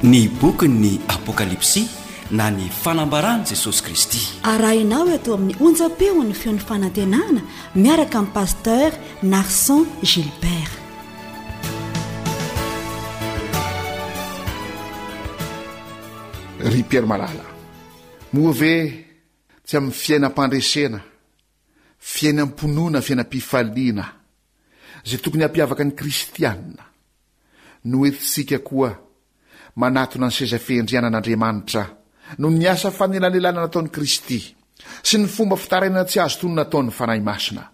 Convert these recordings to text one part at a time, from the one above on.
Ny bokin'ny Apokalypsy na ny fanambaran'i Jesosy Kristy. Arahinao eto amin'ny onjam-peon'ny feon'ny fanantenana miaraka amin'i Pasteur Narson Gilbert. Ry Pierre malala, moa ve tsy amin'ny fiainam-pandresena, fiainam-pinoana, fiainam-pifaliana, izay tokony hampiavaka ny kristiana, no entintsika koa manatona ny seza fiandrianan'Andriamanitra noho ny asa fanelanelanana nataon'i Kristy sy ny fomba fitarainana tsy azo tonona ataon'ny Fanahy Masina,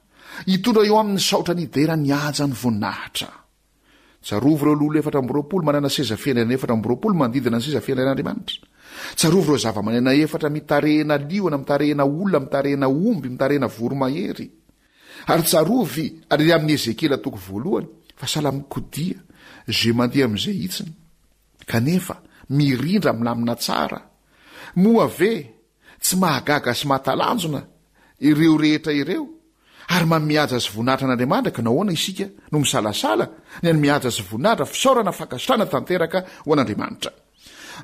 hitondra eo aminy saotra ny hidera ny haja ny voninahitra. Tsarovy ireo lolo 24 manana seza fiandrianana 24 manodidina ny seza fiandrianan'Andriamanitra. Tsarovy ireo zavamanena efatra mitarehina liona, mitarehina olona, mitarehina omby, mitarehina voromahery. Ary tsarovy ary amin'ny Ezekiela toko voalohany fa sahala amin'ny kodia izay mandeha amin'izay hitsiny kanefa mirindra milamina tsara. Moa ve tsy mahagaga sy mahatalanjona ireo rehetra ireo ary manome haja sy voninahitra an'Andriamanitra ka nahoana isika no misalasala ny hanome haja sy voninahitra, fisaorana, fankasitrahana tanteraka ho an'Andriamanitra?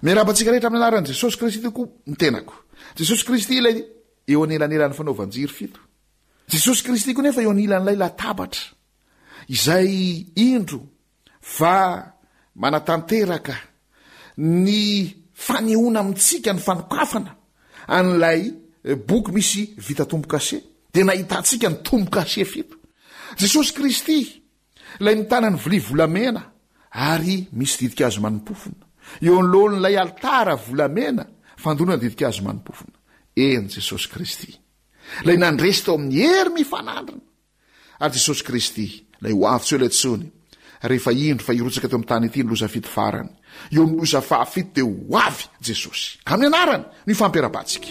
Miarahaba antsika rehetra amin'ny anaran'i Jesosy Kristy tokoa ny tenako. Jesosy Kristy ilay eo anelanelan'ny fanaovan-jiro fito. Jesosy Kristy koa nefa eo anilan'ilay latabatra izay indro fa manatanteraka ny fanehoana amintsika ny fanokafana an'ilay boky misy vita tombo-kase dia nahitantsika ny tombo-kase fito. Jesosy Kristy ilay mitana ny vilia volamena ary misy ditin-kazo manimpofona eo anoloan'ilay alitara volamena fandonana ditin-kazo manimpofona. Eny Jesosy Kristy. Ilay nandresy tao amin'ny hery mifanandrina. Ary Jesosy Kristy, ilay ho avy tsy ho ela intsony, rehefa indro fa hirotsaka teo amin'ny tany ity ny loza fito farany. Eo amin'ny loza fahafito dia ho avy Jesosy. Ka amin'ny anarany no ifampirahabantsika.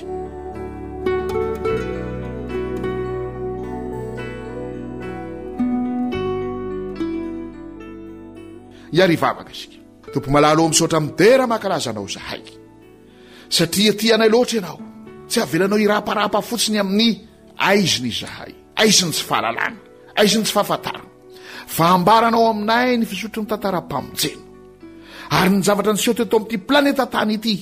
Hiary hivavaka isika. Tompo malala ô, misaotra midera mankalaza Anao izahay. Satria tia anay loatra ianao. Tsy avelanao hiraparapa fotsiny amin'ny aizina izahay, aizin'ny tsy fahalalana, aizin'ny tsy fahafantarana. Fa ambaranao aminay ny fisotry ny tantaram-pamonjena. Ary ny zavatra niseho teto amin'ity planeta tany ity,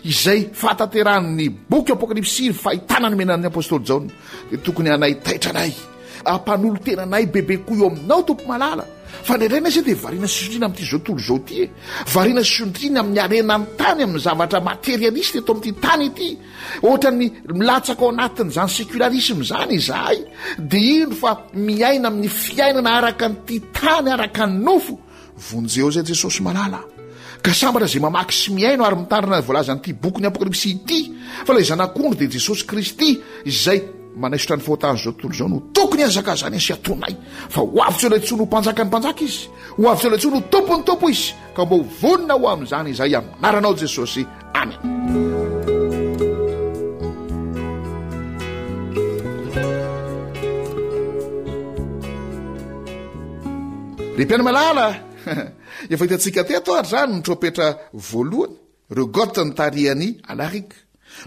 izay fahatanterahan'ny boky Apokalypsy ny fahitana nomena ny apostoly Jaona, dia tokony hanaitaitra anay, hampanolo-tena anay bebe koa eo aminao, Tompo malala. Fa indraindray anie dia variana sy sondriana amin'ity izao tontolo izao ity e. Variana sy sondriana amin'ny harenan'ny tany, amin'ny zavatra materialiste eto amin'ity tany ity. Ohatran'ny milatsaka ao anatin'izany sécularisme izany izahay. Dia indro fa miaina amin'ny fiainana araka an'ity tany, araka ny nofo. Vonjeo izay Jesosy malala. Ka sambatra izay mamaky sy mihaino ary mitandrina ny voalazan'ity bokin'ny Apokalypsy ity, fa ilay Zanak'ondry dia Jesosy Kristy izay manaisotra ny fahotan'izao tontolo izao no tokony hazakazany sy atonay, fa ho avy tsy ela intsony ho Mpanjakan'ny mpanjaka Izy, ho avy tsy ela intsony ho Tompon'ny tompo Izy, ka mba ho vonona ho amin'izany izahay amin'ny anaranao Jesosy. Amen. Ry mpiaino malala, efa hitantsika teto ary izany ny trompetra voalohany, ireo Goth nitarihan'i Alaric.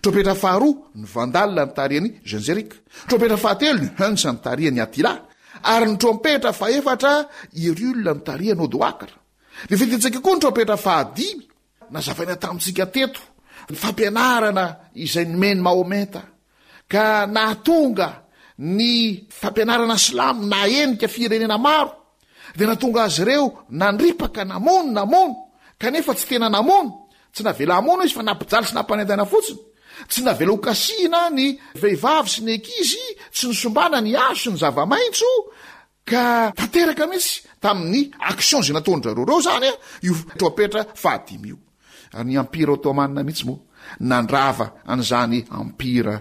Trompetra faharoa, ny Vandal nitarihan'i Genseric. Trompetra fahatelo, ny Huns nitarihan'i Attila. Ary ny trompetra fahefatra, Hyrule nitarihan'i Odoacre. Dia efa hitantsika koa ny trompetra fahadimy, Nazavaina tamintsika teto ny fampianarana izay nomen'i Mahometa ka nahatonga ny fampianarana silamo nahenika firenena maro dia nahatonga azy ireo nandripaka, namono, namono kanefa tsy tena namono, tsy navela hamono izy fa nampijaly sy nampanaintaina fotsiny, tsy navela ho kasihina ny vehivavy sy ny ankizy, tsy nosombana ny hazo sy ny zava-maitso Ka tanteraka mihitsy tamin'ny action izay nataon-dry zareo ireo izany io trompetra fahadimy io. Ary ny Empire Ottoman mihitsy moa nandrava an'izany Empire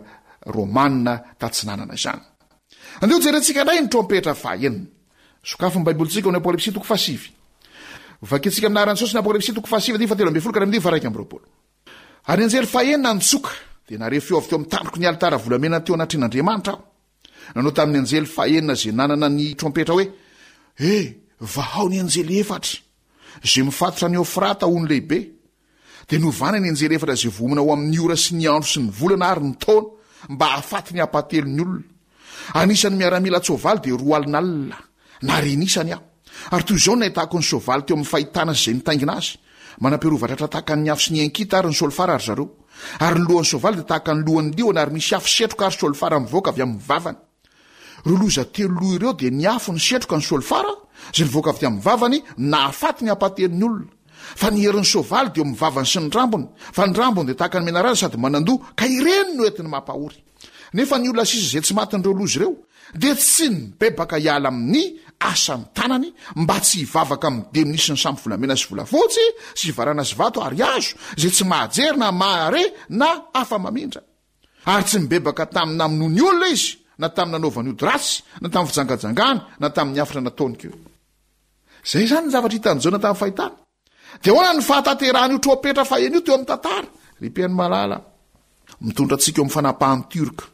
Romana tatsinanana izany. Andeha hojerentsika indray ny trompetra fahenina. Sokafy ny Baibolintsika ao amin'ny Apokalypsy toko fahasivy. Vakintsika amin'ny anaran'i Jesosy ny Apokalypsy toko fahasivy andininy fahatelo ambin'ny folo ka hatramin'ny andininy faha-21. Ary ny anjely fahenina nitsoka, dia nahare feo avy teo amin'ny tandroky ny alitara volamena teo anatrehan'Andriamanitra aho. Nanao tamin'ny anjely fahenina izay nanana ny trompetra hoe, He, vahao ny anjely efatra, izay mifatotra an'i Eofrata ony lehibe. Dia novana ny anjely efatra izay vohomana ho amin'ny ora sy ny andro sy ny volana ary ny taona, mba hahafaty ny ampahatelon'ny olona. Anisan'ny miaramila an-tsoavaly dia roa alinalina, narenisany aho. Ary toy izao no nahitako ny soavaly teo amin'ny fahitana sy izay nitaingina azy. Manam-piarovan-tratra tahaka ny afo sy ny ankita ary ny solifara ry zareo. Ary ny lohan'ny soavaly dia tahaka ny lohan'ny liona ary misy afo setroka ary solifara mivoaka avy amin'ny vavany. Ireo loza teloloha ireo dia ny afo, ny setroka, ny solifara, izay nivoaka avy tamin'ny vavany, nahafaty ny ampahatelon'ny olona. Fa ny herin'ny soavaly dia eo amin'ny vavany sy ny rambony, fa ny rambony dia tahaka ny menarana sady manan-doha, ka ireny no entiny mampahory. Nefa ny olona sisa izay tsy matin'ireo loza ireo dia tsy nibebaka hiala amin'ny asan'ny tanany mba tsy hivavaka amin'ny demony sy ny sampy volamena sy volafotsy sy varana sy vato ary hazo izay tsy mahajery na mahare na afa-mamindra. Ary tsy nibebaka tamin'ny namonoany olona izy na tamin'ny nanaovany ody ratsy na tamin'ny fijangajangany na tamin'ny hafatra nataony koa. Izay izany ny zavatra hitan'i Jaona tamin'ny fahitana. Dia ahoana ny fahatanterahan'io trompetra faheno io teo amin'ny tantara? Ry mpihaino malala, mitondra antsika eo amin'ny fanapahan'ny Tiorka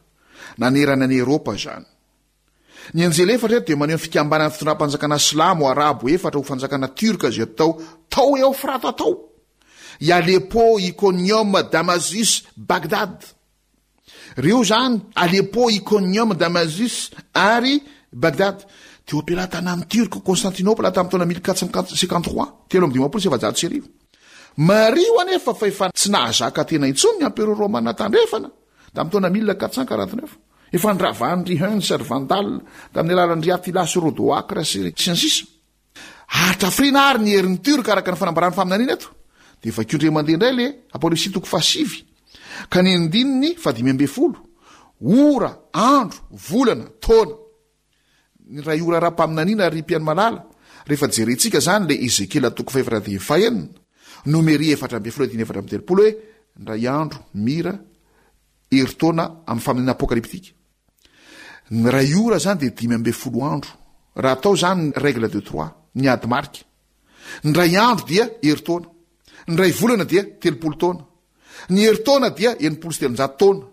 nanerana an'i Eropa izany. Ny anjely efatra eto dia maneho ny fikambanan'ny fitondram-panjakana silamo arabo efatra ho fanjakana tiorka izay atao tao Eofrata tao, i Aleppo, Iconium, Damasus, Bagdad. Ireo izany, Aleppo, Iconium, Damasus ary Bagdad, teo am-pelatanan'ny Tiorka Constantinople tamin'ny taona 1453, 1453. Mariho anefa fa efa tsy nahazaka tena intsony ny Emperora Romana Tandrefana tamin'ny taona 1449. Efa ndravan'ny ry Huns sy ry Vandal tamin'ny alalan'ny ry Attila sy Rodoacre sy ny sisa. Hatrafrina ary ny herin'ny Turc araka ny fanambaran'ny faminaniana eto. Dia vakio indray mandeha indray le Apokalypsy toko fahasivy ka ny andininy fahadimy ambin'ny folo. Ora, andro, volana, taona. Ny iray ora ara-paminaniana ry mpihaino malala, rehefa jerentsika izany le Ezekiela toko fahefatra andininy fahenina, Nomery 14 andininy 34 hoe indray andro, mira, herintaona amin'ny faminaniana apokalyptika. Ny iray ora izany dia 15 andro. Raha atao izany ny règle de trois, ny ady marika. Ny iray andro dia herintaona. Ny iray volana dia 30 taona. Ny herintaona dia 360 taona.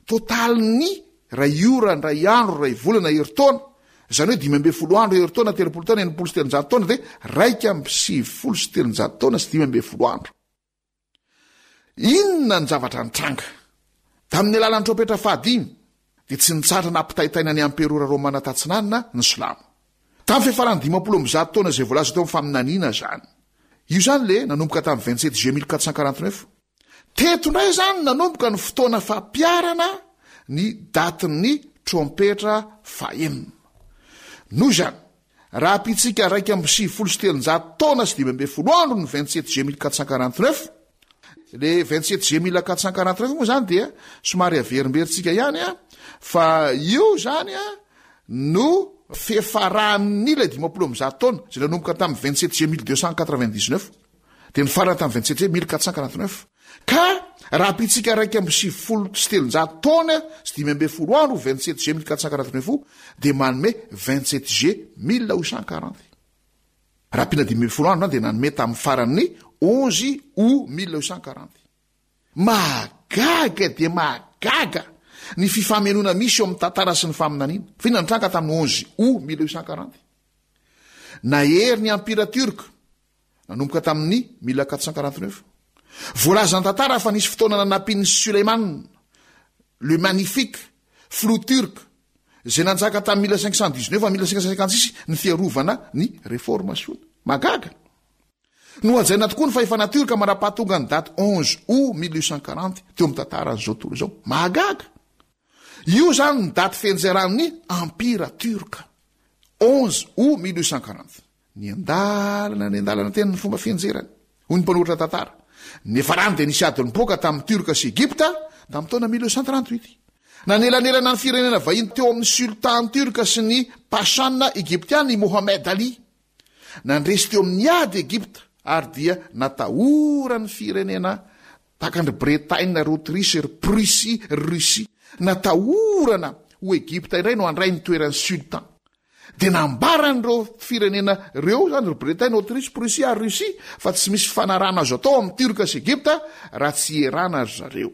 Totalin'ny iray ora, ny iray andro, iray volana, herintaona, izany hoe 15 andro, herintaona, 30 taona, 360 taona dia 391 taona sy 15 andro. Inona ny zavatra nitranga? Tamin'ny alalan'ny trompetra fahadimy, dia tsy nitsahatra nampitaintaina ny amperora romana tatsinanana ny silamo. Tamin'ny fiafaran'ny 150 taona izay voalaza teo amin'ny faminaniana izany. Io izany le nanomboka tamin'ny 27 juillet 1449. Teto indray izany nanomboka ny fotoana fampiharana ny datin'ny trompetra fahenina. Noho izany, Raha ampitsika 391 taona sy 15 andro ny 27 juillet 1449, le 27 juillet 1449 moa zany dia somary averimberintsika ihany a, fa io zany a no fiafaran'ny ilay 150 taona izay nanomboka tamin'ny 27 juillet 1299 dia nifarana tamin'ny 27 juillet 1449. Ka raha ampitsika 391 taona sy 15 andro 27 juillet 1449 dia manome 27 juillet 1840. Raha ampiana 15 andro dia nanome tamin'ny faran'ny 11 août 1840. Mahagaga dia mahagaga ny fifamenoana misy eo amin'ny tantara sy ny faminaniana. Fa inona no nitranga tamin'ny 11 août 1840? Nahery ny Empira Turc nanomboka tamin'ny 1449. Voalazan'ny tantara fa nisy fotoana nanampian'i Suleiman le Magnifique, filoha Turc, izay nanjaka tamin'ny 1519 à 1556 ny fiarovana ny reformasiona. Mahagaga! Nohajaina tokoa ny fahefana Turc mandra-pahatonga ny daty 11 août 1840 teo amin'ny tantaran'izao tontolo izao. Mahagaga! Io izany ny daty fianjeran'ny Empira Turc. 11 août 1840. Niandalana niandalana teny ny fomba fianjerany, hoy ny mpanoratra tantara. Niafarany dia nisy ady nipoaka tamin'ny Tiorka sy Egypta tamin'ny taona 1838. Nanelanelana ny firenena vahiny teo amin'ny sultan tiorka sy ny pashan egyptiana i Mohammed Ali. Nandresy teo amin'ny ady Egypta ary dia natahoran'ny firenena tahaka an-dry Bretaina, ry Autriche, ry Prussie, ry Russie. Natahorana ho Egypta indray no handray ny toeran'ny sultan. Dia nambaran'ireo firenena ireo izany, ry Bretaina, Autriche, Prussie ary Russie, fa tsy misy fifanarahana azo atao amin'ny Tiorka sy Egypta raha tsy ierana ry zareo.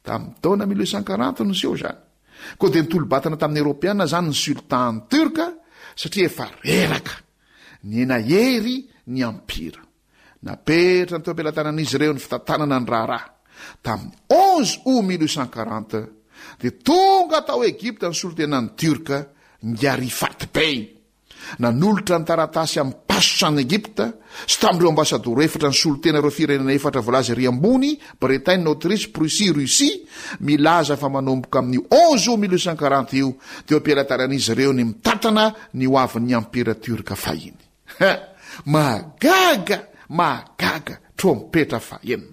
Tamin'ny taona 1840 no niseho izany. Koa dia nitolo-batana tamin'ny Eoropeana izany ny sultan Tiorka satria efa reraka. Nihena hery ny ampira. Napetrany teo am-pelatanan'izy ireo ny fitantanana ny raharaha. Tamin'ny 11 août 1840, dia tonga tao Egypta ny solontenan'ny Tiorka, Ngarifat Bey. Nanolotra ny taratasy amin'ny Pasha-n'i Egypta sy tamin'ireo ambasadoro efatra nisolo tena ireo firenena efatra voalaza ery ambony, Bretagne, Autriche, Prussie, Russie, milaza fa manomboka amin'io 11 août 1840 io dia eo am-pelatanan'izy ireo ny mitantana ny ho avin'ny Empira Tiorka fahiny. Ha! Mahagaga! Mahagaga! Trompetra fahenina.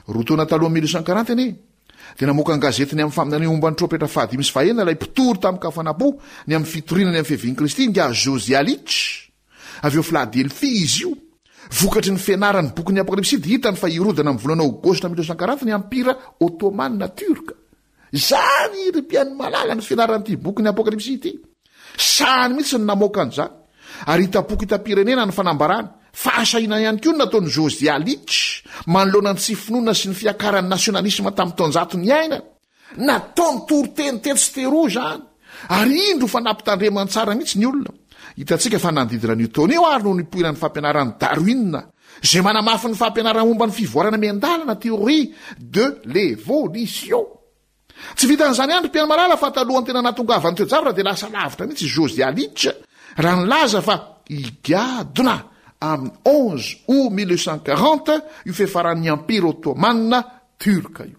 Roa taona talohan'ny 1840 anie, dia namoaka an-gazety ny amin'ny faminaniana momba ny trompetra fahadimy sy fahenina ilay mpitory tamin-kafanam-po ny amin'ny fitoriana ny amin'ny fiavian'i Kristy, ingahy Josiah Litch. Avy ao Philadelphie izy io. Vokatry ny fianarany ny bokin'ny Apokalypsy dia hitany fa hirodana amin'ny volana Aogositra 1940 ny Ampira Ottoman Tiorka. Izany, ry mpihaino malala, ny fianaran'ity bokin'ny Apokalypsy ity. Sahany mihitsy ny namoaka an'izany. Ary hitam-poko hitam-pirenena ny fanambarany. Fahasahiana ihany koa ny nataon'i Josiah Litch manoloana ny tsy finoana sy ny fiakaran'ny nasionalisma tamin'ny taonjato niainany. Nataony toriteny tetsy sy teroa izany. Ary indro fa nampitandremany tsara mihitsy ny olona. Hitantsika fa nanodidina an'io taona io ary no nipoiran'ny fampianaran'i Darwin, izay manamafy ny fampianarana momba ny fivoarana miandalana, théorie de l'évolution. Tsy vitan'izany ihany ry mpihaino malala fa talohan'ny tena nahatongavan'ny toe-javatra dia lasa lavitra mihitsy i Josiah Litch raha nilaza fa higadona amin'ny 11 août 1840 io fiafaran'ny Empire Ottoman Turc io.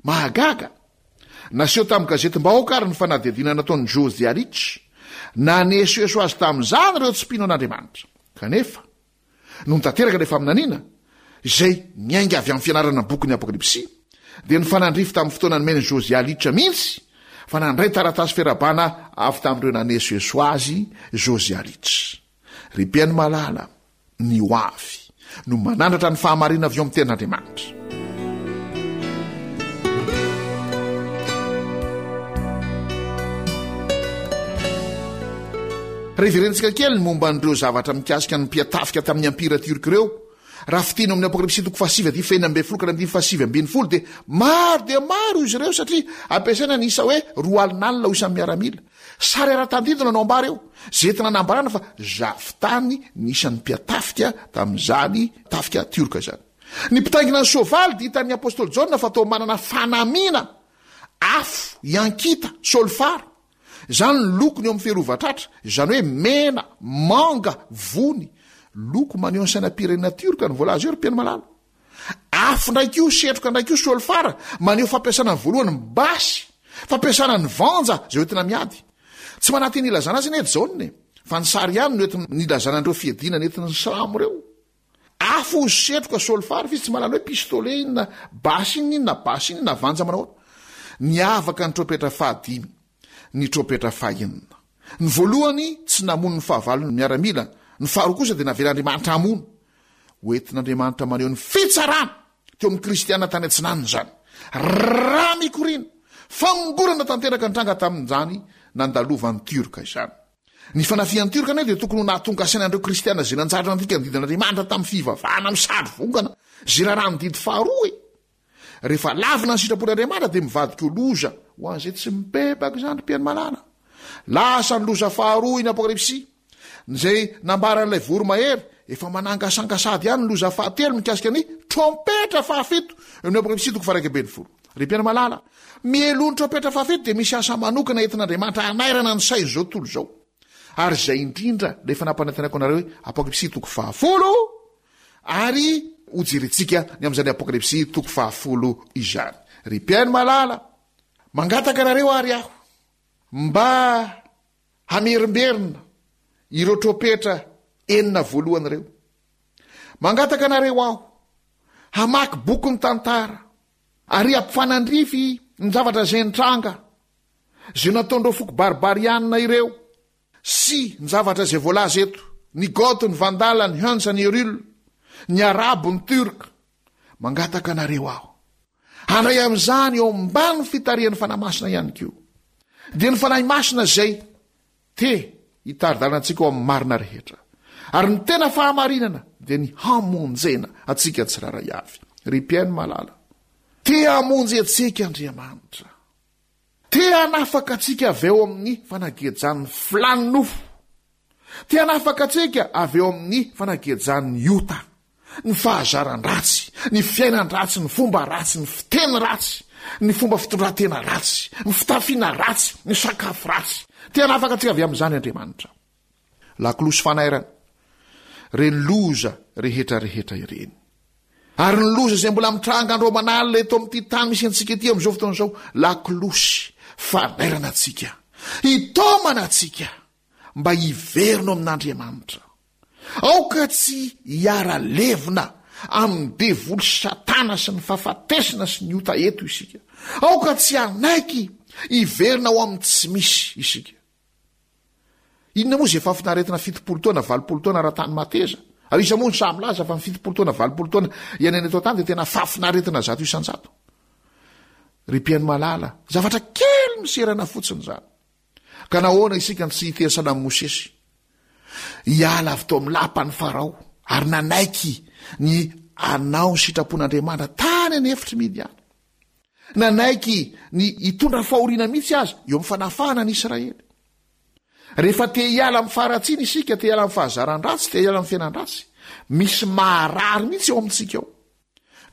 Mahagaga! Naseho tamin'ny gazetim-bahoaka ary ny fanadihadiana nataon'i Josiah Litch. Nanesoeso azy tamin'izany ireo tsy mpino an'Andriamanitra. Kanefa, Nony tanteraka ilay faminaniana, izay niainga avy amin'ny fianarana ny bokin'ny Apokalypsy, dia nifanandrify tamin'ny fotoana nomen'i Josiah Litch mihitsy fa nandray taratasy fiarahabana avy tamin'ireo nanesoeso azy Josiah Litch. Ry mpihaino malala, ny ho avy no manandratra ny fahamarinana avy eo amin'ny Tenin'Andriamanitra. Raha hiverenantsika kely ny momba an'ireo zavatra mikasika ny mpiatafika tamin'ny Ampira Tiorka ireo, raha fintinina ao amin'ny Apokalypsy toko fahasivy andininy fahenina ambin'ny folo ka hatramin'ny andininy fahasivy ambin'ny folo dia maro dia maro izy ireo satria ampiasaina ny isa hoe roa alina alina ho isan'ny miaramila. Sary ara-tandindona no ambara eo, izay entina anambarana fa zavon-tany ny isan'ny mpiatafika tamin'izany tafika tiorka izany. Ny mpitaingina ny soavaly dia hitan'ny apostoly Jaona fa toa manana fanamiana afo hiankita, solifara. Izany ny lokony eo amin'ny fiarovan-tratra, izany hoe mena, manga, vony. Loko maneho ny sainam-pirenena tiorka no voalaza eo ry mpihaino malala. Afo indray koa, setroka indray koa, solifara, maneho fampiasana ny voalohany ny basy, fampiasana ny vanja izay hoentina miady. Tsy manantena ilazana azy anie Jaona e, fa ny sary ihany no entina nilazana an'ireo fiadiana nentin'ny silamo ireo. Afo, setroka, solifara, fa izy tsy mahalala hoe pistolet iny na basy iny na basy iny na vanja manao ahoana. Niavaka ny trompetra fahadimy, ny trompetra fahenina. Ny voalohany tsy namono ny fahavalony miaramila, ny faharoa kosa dia navelan'Andriamanitra hamono. Hoentin'Andriamanitra maneho ny fitsarana teo amin'ny kristiana tany atsinanana izany. Rà mikoriana, famongorana tanteraka nitranga tamin'izany nandalovan'ny Tiorka izany. Ny fanafihan'ny Tiorka anie dia tokony ho nahatonga saina an'ireo kristiana izay nanjary nandika ny didin'Andriamanitra tamin'ny fivavahana amin'ny sary vongana izay raràn'ny didy faharoa e! Rehefa lavina ny sitrapon'Andriamanitra dia mivadika ho loza ho an'izay tsy mibebaka izany ry mpihaino malala. Lasa ny loza faharoa iny Apokalypsy izay nambaran'ilay voromahery efa manangasanga sady ihany ny loza fahatelo mikasika ny trompetra fahafito eo amin'ny Apokalypsy toko faha 11. Ry mpihaino malala, mialoha ny trompetra fahafito dia misy asa manokana entin'Andriamanitra hanairana ny sain'izao tontolo izao. Ary izay indrindra ilay efa nampanantenako anareo hoe Apokalypsy toko fahafolo Ary hojerentsika ny amin'izany Apokalypsy toko fahafolo izany. Ry mpihaino malala, mangataka anareo ary aho mba hamerimberina ireo trompetra enina voalohany ireo. Mangataka anareo aho hamaky boky ny tantara ary hampifanandrify ny zavatra izay nitranga, izay nataon'ireo foko barbarianina ireo. Sy ny zavatra izay voalaza eto, ny Goth, ny Vandal, ny Huns, ny Herul, ny Arabo, ny Turc. Mangataka anareo aho handray amin'izany eo ambany fitarihan'ny Fanahy Masina ihany koa. Dia ny Fanahy Masina izay te hitari-dalana antsika ao amin'ny marina rehetra. Ary ny tena fahamarinana dia ny hamonjena antsika tsirairay avy. Ry mpihaino malala, te hamonjy antsika Andriamanitra. Te hanafaka antsika avy eo amin'ny fanagejan'ny filàn'ny nofo. Te hanafaka antsika avy eo amin'ny fanagejan'ny ota, ny fahazaran-dratsy, ny fiainan-dratsy, ny fomba ratsy, ny fiteny ratsy, ny fomba fitondran-tena ratsy, ny fitafiana ratsy, ny sakafo ratsy. Te hanafaka antsika avy amin'izany Andriamanitra. Lakolosy fanairana, ireny loza rehetra rehetra ireny. Ary ny loza izay mbola mitranga andro aman'alina eto amin'ity tany misy antsika ity amin'izao fotoana izao, lakolosy fanairana antsika, hitaomana antsika mba hiverina ao amin'Andriamanitra. Aoka tsy hiara-levona amin'ny devoly Satana sy ny fahafatesana sy ny ota eto isika. Aoka tsy hanaiky hiverina ao amin'ny tsy misy isika. Inona moa izay fahafinaretina 70 taona, 80 taona ara-tany mateza? Ary iza moa no sahy milaza fa ny 70 taona, 80 taona iainana eto an-tany dia tena fahafinaretina 100%? Ry mpihaino malala, zavatra kely miserana fotsiny izany. Ka nahoana isika no tsy hiteny sahala amin'i Mosesy? Hiala avy tao amin'ny lapan'i Farao ary nanaiky ny hanao ny sitrapon'Andriamanitra tany an'efitr'i Midiana. Nanaiky ny hitondra fahoriana mihitsy aza eo amin'ny fanafahana ny Israely. Rehefa te hiala amin'ny faharatsiana isika, te hiala amin'ny fahazaran-dratsy, te hiala amin'ny fiainan-dratsy, misy maharary mihitsy ao amintsika ao.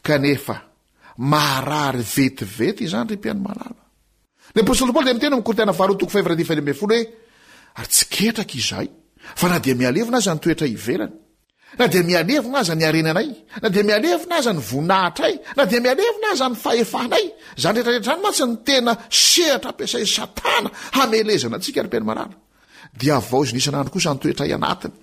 Kanefa, maharary vetivety izany, ry mpihaino malala. Ny apostoly Paoly dia miteny ao amin'ny Korintiana faharoa toko fahefatra andininy faha-16 hoe, Ary tsy ketraka izahay, fa na dia mihalevona aza ny toetra ivelany, na dia mihalevona aza ny harenanay, na dia mihalevona aza ny voninahitray, na dia mihalevona aza ny fahefanay, izany rehetra rehetra izany mantsy no tena sehatra ampiasain'i Satana hamelezana antsika, ry mpihaino malala. Dia havaozina isan'andro kosa ny toetray anatiny,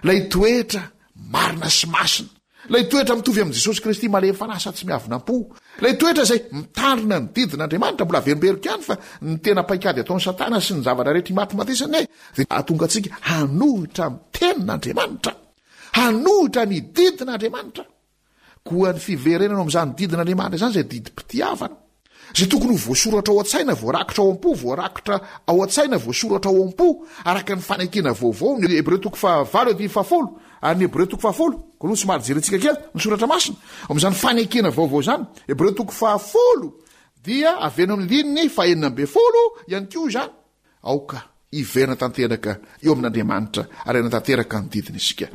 ilay toetra marina sy masina, ilay toetra mitovy amin'i Jesosy Kristy malemy fanahy sady tsy miavona am-po, ilay toetra izay mitandrina ny didin'Andriamanitra, mbola averimberiko ihany fa ny tena paikady ataon'i Satana sy ny zavatra rehetra imatimatesany dia hahatonga antsika hanohitra ny tenin'Andriamanitra, hanohitra ny didin'Andriamanitra. Koa ny fiverenana ao amin'izany didin'Andriamanitra izany izay didim-pitiavana, izay tokony ho voasoratra ao an-tsaina, voarakitra ao am-po, voarakitra ao an-tsaina, voasoratra ao am-po, araka ny fanekena vaovao, ny Hebreo toko fahavalo andininy fahafolo, ary ny Hebreo toko fahafolo, koa aloha somary jerentsika kely ny soratra masina, ao amin'izany fanekena vaovao izany, Hebreo toko fahafolo dia avy eny amin'ny andininy fahenina ambin'ny folo ihany koa izany. Aoka hiverina tanteraka eo amin'Andriamanitra ary hanatanteraka ny didiny isika.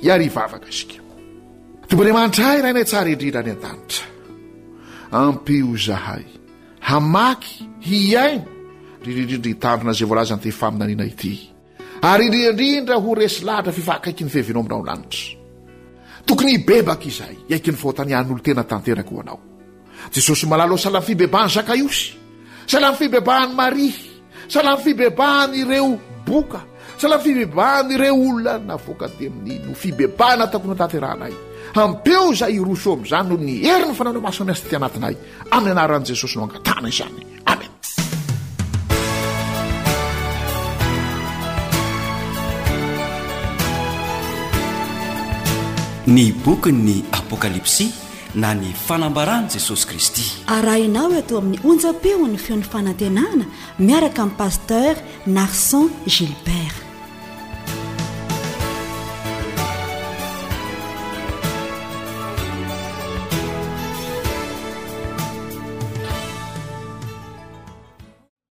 Hiary hivavaka isika. Tompo Andriamanitra ahy Rainay tsara indrindra any an-danitra. Ampio izahay hamaky, hihaino, indrindra indrindra hitandrina izay voalazan'ity faminaniana ity. Ary indrindra indrindra ho resy lahatra f'efa akaiky ny fiavianao aminao lanitra. Tokony hibebaka izahay, hiaiky ny fahotany hanolo-tena tanteraka ho Anao. Jesosy malala ô sahala amin'ny fibebahan'i Zakaiosy, sahala amin'ny fibebahan'i Maria, sahala amin'ny fibebahan'ireo boka, sahala amin'ny fibebahan'ireo olona navoaka demonia no fibebahana tokony hotanterahanay. Ampeo izahay hiroso eo amin'izany noho ny herin'ny Fanahy Masina miasa aty anatinay. Amin'ny anaran'i Jesosy no angatahana izany. Amen. Ny bokin'ny Apokalypsy na ny fanambaran'i Jesosy Kristy. Arahinao eto amin'ny onjam-peon'ny feon'ny fanantenana miaraka amin'i Pasteur Narson Gilbert.